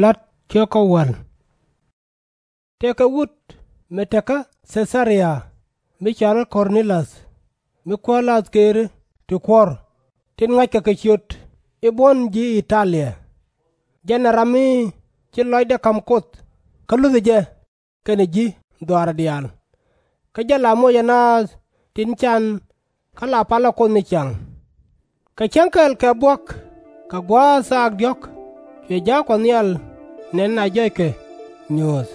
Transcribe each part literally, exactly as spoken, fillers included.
La̱t ciök kä wäl. Tëëkɛ wut mi te kä Thɛ-tha-ria, mi cɔal i̱ Kɔr-ne-lɔth, mi kuäär la̱th këëri ti kuɔ̱r, tin ŋa̱ckɛ kɛ ciöt i̱ buɔ̱n ji̱ I-ta-lia. Jɛn ɛ ram mi ci lɔcdɛ ka̱m Kuoth kä luthɛ jɛ kɛnɛ ji̱ dhɔaarɛ diaal. Kä jɛ la mocɛ naath tin can kä la palɛ Kuoth ni ciaŋ. Kɛ cäŋ kɛl kɛ buɔ̱k, kɛ gua̱a̱th thaak diɔ̱k, cuɛ ja̱a̱k Kuɔth Nhial nɛn a jɔckɛ nyuuth,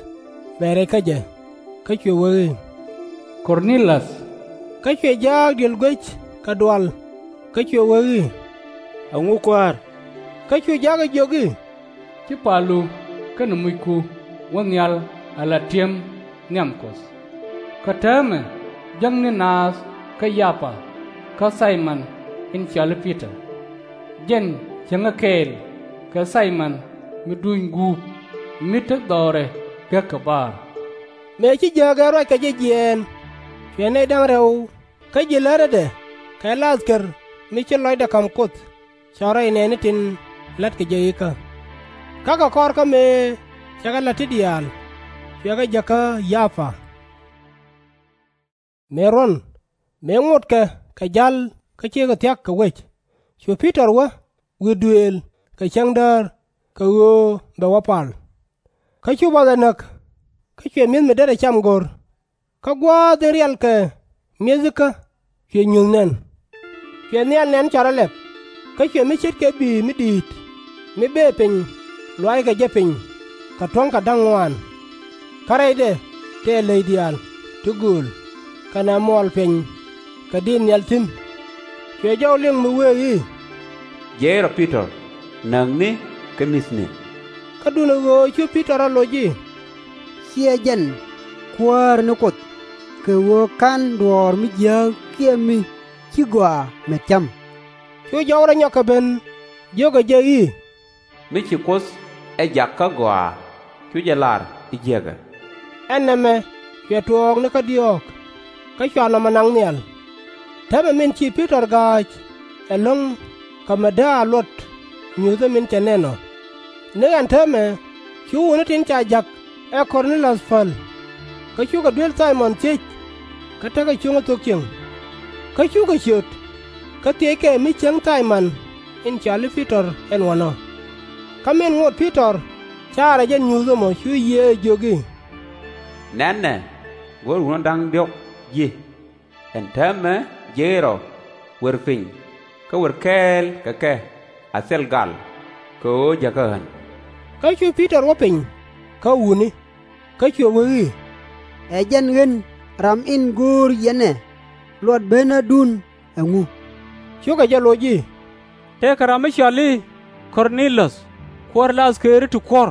ben rɛc kä jɛ, kä cuɛ wee i̱, Kɔr-ne-lɔth. Kä cuɛ ja̱a̱k diël guec kɛ dual, kä cuɛ wee i̱, Ɛŋu, Kuäär? Kä cu ja̱a̱k ɛ jiök i̱, Ci palu kɛnɛ mucku wä nhial ala ti̱em nhiam Kuɔth. Kä täämɛ jäkni naath kä Yapa kä Thay-mɔn in cɔal i̱ Pi-tɔr. Jɛn cieŋä kɛɛl kɛ Thay-mɔn mi duny guup, mi te dhɔrɛ gek kɛ baar. Mëë ci jääk ɛ ruac kɛ jɛ jiɛɛn, cuɛ nɛy da̱ŋ rɛw kä ji̱ lätädɛ kɛ la̱th kär mi ci lɔcdɛ ka̱m Kuoth cɔl rɛy nɛɛni tin la̱tkɛ jɛ ikä. Kä kɛ kɔr kä mëë cɛ kɛ la̱t ti diaal, cuɛ kɛ jäk kä Yapa. Mëë ruɔ̱n, mëë ŋotkɛ kɛ ja̱l kä cikɛ thia̱k kɛ wec, cu Pi-tɔr wä wi̱i̱ duëël kɛ cäŋ däär kɛ ɣöö bɛ wä pal. Kä cu bath ɛ näk, kä cuɛ mi̱eth mi derɛ cam go̱r. Kä gua̱a̱th in rial kɛ mi̱ethikä cuɛ nyuth nɛn. Cuɛ nhial nɛn cɔal rɔ lɛp, kä cuɛ mi ce̱tkɛ bi̱i̱ mi di̱i̱t mi bëë piny luaackɛ jɛ piny kɛ tuɔ̱ŋ kɛ da̱ŋ ŋuaan. Kä rɛydɛ tëë ley diaal ti gööl kɛnɛ muɔɔl piɛny kɛ diit nhial thi̱n. Cuɛ jɔw liŋ mi wëë i̱, Jiɛc rɔ Pi-tɔr, näkni kä mi̱thni. Kä duundɛ ɣöö cu Pi-tɔr rɔ loc i̱, /Ciɛ jɛn, Kuäär ni Kuoth, kɛ ɣöö /ka̱n duɔ̱ɔ̱r mi jiääk kiɛ mi ci gɔaa met cam. Cu jɔw rɔ nyɔk kɛ ben, jiökɛ jɛ i̱, Mi ci Kuoth ɛ jak kä gɔaa, cu jɛ lar i̱ jiäkä. Ɛn nɛmɛ cuɛ tuɔɔk ni kä diɔ̱ɔ̱k, kä cua nɔmɔ naŋ nhial. Täämɛ min ci Pi-tɔr ga̱a̱c ɛlɔ̱ŋ kɛ mi dääk a luɔt nyuuthä min cɛ nɛn ɔ. Ni ɛn täämɛ cu wutni tin ca ja̱k ɛ Kɔr-ne-lɔth päl, kä cukɛ duel Thay-mɔn thiec kä tekɛ cuŋä thok cieŋ. Kä cukɛ ciöt, kä thiëckɛ mi cieŋ Thay-mɔn in cɔal i̱ Pi-tɔr ɛn wanɔ. Kä min ŋot Pi-tɔr caarɛ jɛ nyuuth ɛmɔ cu Yiëë ɛ jiök i̱, Nɛnɛ, go̱o̱r wutni da̱ŋ diɔ̱k ji̱. Ɛn täämɛ jiɛc rɔ, wer piny, kä wer kɛɛl kɛ kɛ a thil gal, kɛ ɣöö jäkä ɣän. Kä cu Pi-tɔr wä piny kä wutni, kä cuɛ wee i̱, Ɛ jɛn ɣän ram in go̱o̱r yɛn ɛ luɔt benädun ɛŋu? Cukɛ jɛ loc i̱, Tëëkɛ ram mi cɔal i̱ Kɔr-ne-lɔth, kuäär la̱th këëri ti kuɔ̱r.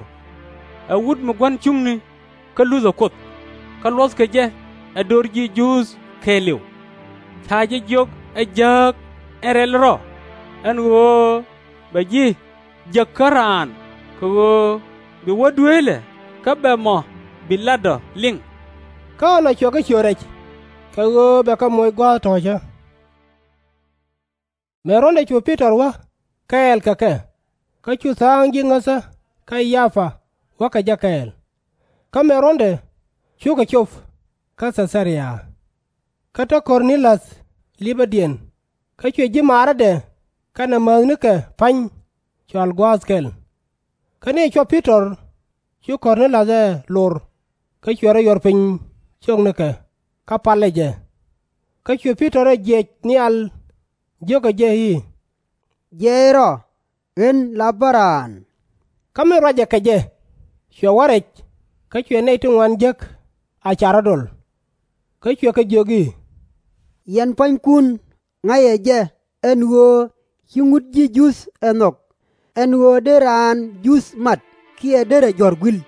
Ɛ wut mi gua̱n cuŋni kä luthɛ Kuoth, kä luɔ̱thkɛ jɛ ɛ do̱r ji̱ Juudh kɛɛliw. Ca jɛ jiök ɛ jääk in rɛl rɔ, ɛn ɣöö bɛ ji̱ jäk kä raan, kɛ ɣöö bi wä dueelɛ kä bɛ mɔ bi lat ɔ liŋ. Kä ɣän ɔ cuɛ kɛ ciöt rɛc, kɛ ɣöö bɛ kɛ moc gua̱a̱th tɔ̱ɔ̱cä. Mëë ruɔ̱ndɛ cu Pi-tɔr wä kɛɛl kɛ kɛ, kä cu tha̱a̱ŋ ji̱ ŋäthä kä Yapa wä kɛ jɛ kɛɛl. Kä mëë ruɔ̱ndɛ cukɛ cop kä Thɛ-tha-ria. Kä te Kɔr-ne-lɔth lipädiɛn, kä cuɛ ji̱ maarädɛ kɛnɛ mäthnikɛ pa̱ny cɔal gua̱a̱th kɛl. Kä ni cuɔp Pi-tɔr, cu Kɔr-ne-lɔth ɛ lor, kä cuɛ rɔ yuɔr piny ciöknikɛ, kä palɛ jɛ. Kä cuɛ Pi-tɔr ɛ jiɛc nhial, jiökɛ jɛ i̱, Jiɛc rɔ, ɣän la bä raan. Kä min ruacɛ kɛ jɛ, cuɛ wä rɛc, kä cuɛ nɛy ti ŋuan jek a ca rɔ̱ dol. Kä cuɛ kɛ jiök i̱, Yɛn pua̱nykun ŋa̱cɛ jɛ ɛn ɣöö /ci ŋut ji̱ Juudh ɛ nhɔk, ɛn ɣöö dee raan Juudh mat kiɛ derɛ jɔ̱ɔ̱r gui̱l.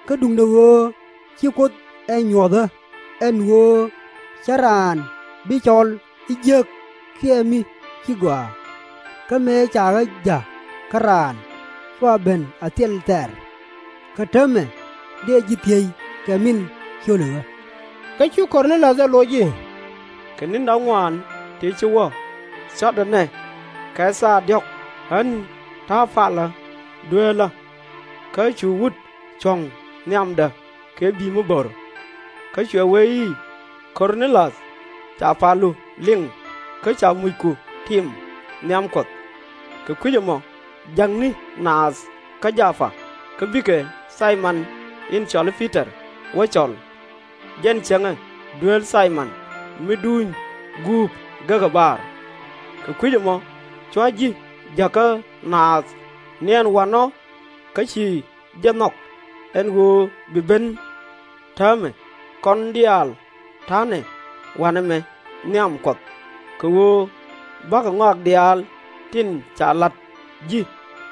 Kä duundɛ ɣöö ci Kuoth ɛ nyuɔ̱thä, ɛn ɣöö /cä raan bi cɔl i̱ jiääk kiɛ mi ci gɔaa. Kä mëë ca ɣä ja̱k kä raan, cua ben a thil thɛɛr. Kä täämɛ dëë ji̱ thiec kɛ min cio̱li ɣä. Kä cu Kɔr-ne-lɔth ɛ loc i̱, Kɛ ni̱n da̱ŋ ŋuaan ti ci wä, cɔtdä nɛ kɛ thaak diɔ̱k ɣän ta̱a̱ palä dueelä. kä cu wut cuɔ̱ŋ nhiamdä kɛ bi̱i̱ mi bo̱r. Kä cuɛ wee i̱, Kɔr-nɛ-liath, ca palu liŋ, kä ca mucku tim nhiam Kuɔth. Kɛ kui̱c ɛmɔ jäkni naath kä Jɔpa, kä bikɛ Thay-mɔn in cɔal i̱ Pi-tɔr wä cɔl. Jɛn cäŋɛ dueel Thay-mɔn mi duny guup gekä baar. Kɛ kui̱c ɛmɔ cua ji̱ jäkä naath ni ɛn wa̱nɔ, kä ci jɛ nhɔk ɛn ɣöö bi ben täämɛ. Kɔn diaal ta̱a̱nɛ wa̱nɛ mɛ nhiam Kuɔth, kɛ ɣöö bakɛ ŋɔak diaal tin ca la̱t ji̱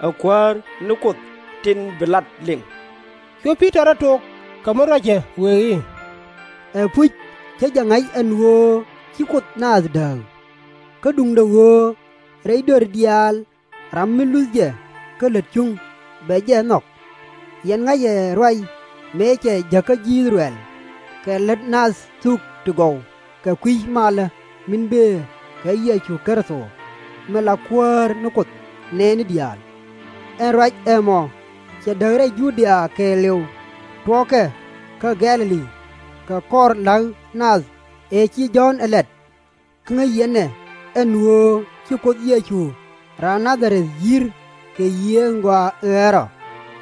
ɛ Kuäär ni Kuoth tin bi lat liŋ. Cu Pi-tɔr ɛ tok kɛ mi ruac cɛ wëë i̱, Ɛpuc, /cä jɛ ŋa̱c ɛn ɣöö ci Kuoth naath dääk. Kä duundɛ ɣöö rɛy döör diaal ram mi luth jɛ kä lät cuŋ bɛ jɛ nhɔk. Yɛn ŋa̱cɛ ruac mëë cɛ jäkä ji̱ I-thɛ-rɛl kɛ lät nath thuk ti gɔw kɛ kui̱ malä min bëë kɛ Yecu Kritho, min la Kuäär ni Kuoth nɛɛni diaal. Ɛn ruac ɛmɔ cɛ däk rɛy Ju-dia kɛɛliw tuɔɔkɛ kä Gɛ̈-lɛ-li, kɛ kɔr la̱k nath ëë ci Jɔ̱ɔ̱n ɛ lɛt. Kä ŋäc yɛn ɛ ɛn ɣöö ci Kuoth Yecu raan Na-dha-rɛth yi̱r kɛ Yiëë in Gɔaa in Rɛl Rɔ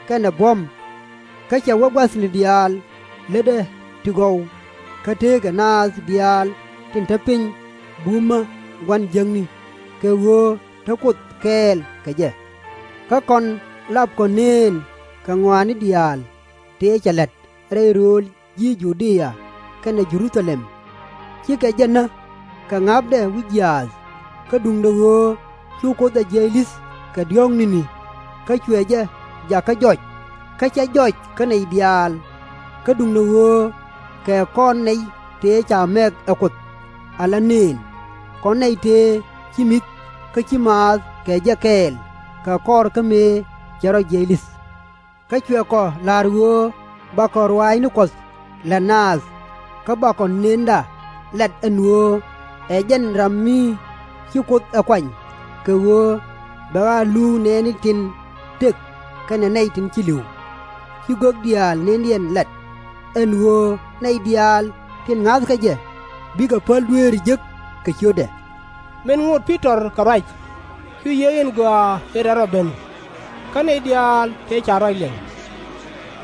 kɛnɛ buɔ̱m. Kä cɛ wä gua̱thni diaal lätdɛ ti gɔw, kä tëëkɛ naath diaal tin te piny bumä gua̱n jiäkni, kɛ ɣöö te Kuoth kɛɛl kɛ jɛ. Kä kɔn lapkɔ nëën kɛ ŋɔaani diaal tëë cɛ la̱t rɛy rööl ji̱ Ju-dia kɛnɛ Jɛ-ru-tha-lɛm. Cikɛ jɛ näk kɛ ŋa̱pdɛ wi̱c jiaath, kä duundɛ ɣöö cu Kuoth ɛ jiɛc li̱th kɛ diɔ̱ɔ̱k ni̱ni, kä cuɛ jɛ jakä jɔc, kä /cɛ jɔc kä nɛy diaal. Kä duundɛ ɣöö kɛ kɔn nɛy tëë ca mɛk ɛ Kuoth ala nëën, kɔn nɛy tëë ci mi̱th kä ci maath kɛ jɛ kɛɛl kɛ kɔr kä mëë cɛ rɔ jiɛc li̱th. Kä cuɛ kɔ la̱r ɣöö bakɔ ruaacni Kuɔth la̱t naath, kä bakɔ nënda lat ɛn ɣöö ɛ jɛn ram mi ci Kuoth ɛ kuany, kɛ ɣöö bɛ ɣaa luuk nɛɛni tin tëk kɛnɛ nɛy tin ci li̱w. Ci gök diaal nëndiɛn lat, ɛn ɣöö nɛy diaal tin ŋa̱thkɛ jɛ bikɛ päl dueeri jek kɛ ciötdɛ. Min ŋot Pi-tɔr kɛ ruac, cu Yiëë in Gɔaa in Rɛl Rɔ ben, kä nɛy diaal tëë ca ruac liŋ.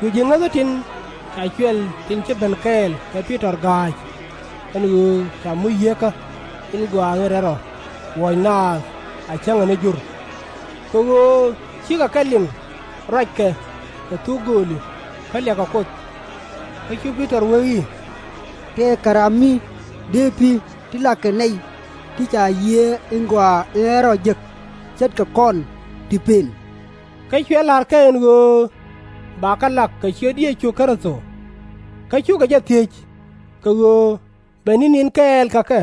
Cu ji̱ ŋäthä tin ca cuɛl tin ci ben kɛɛl kɛ Pi-tɔr ga̱a̱c, ɛn ɣöö ca muc Yieekä in Gɔaa in Rɛl Rɔ wuɔ̱c naath a cäŋɛ ni jur. Kɛ ɣöö cikɛ kɛ liŋ ruackɛ kɛ thuk gööli kä liakɛ Kuoth. Kä cu Pi-tɔr wee i̱, Tëëkɛ ram mi dëë pi̱ ti lakɛ nɛy ti ca Yiëë in Gɔaa in Rɛl Rɔ jek, ce̱tkɛ kɔn ti pëën. Kä cuɛ la̱r kɛ ɛn ɣöö bakɛ lak kɛ ciöt Yecu Kritho. Kä cukɛ jɛ thiec kɛ ɣöö bɛ ni̱n in kɛɛl kɛ kɛ.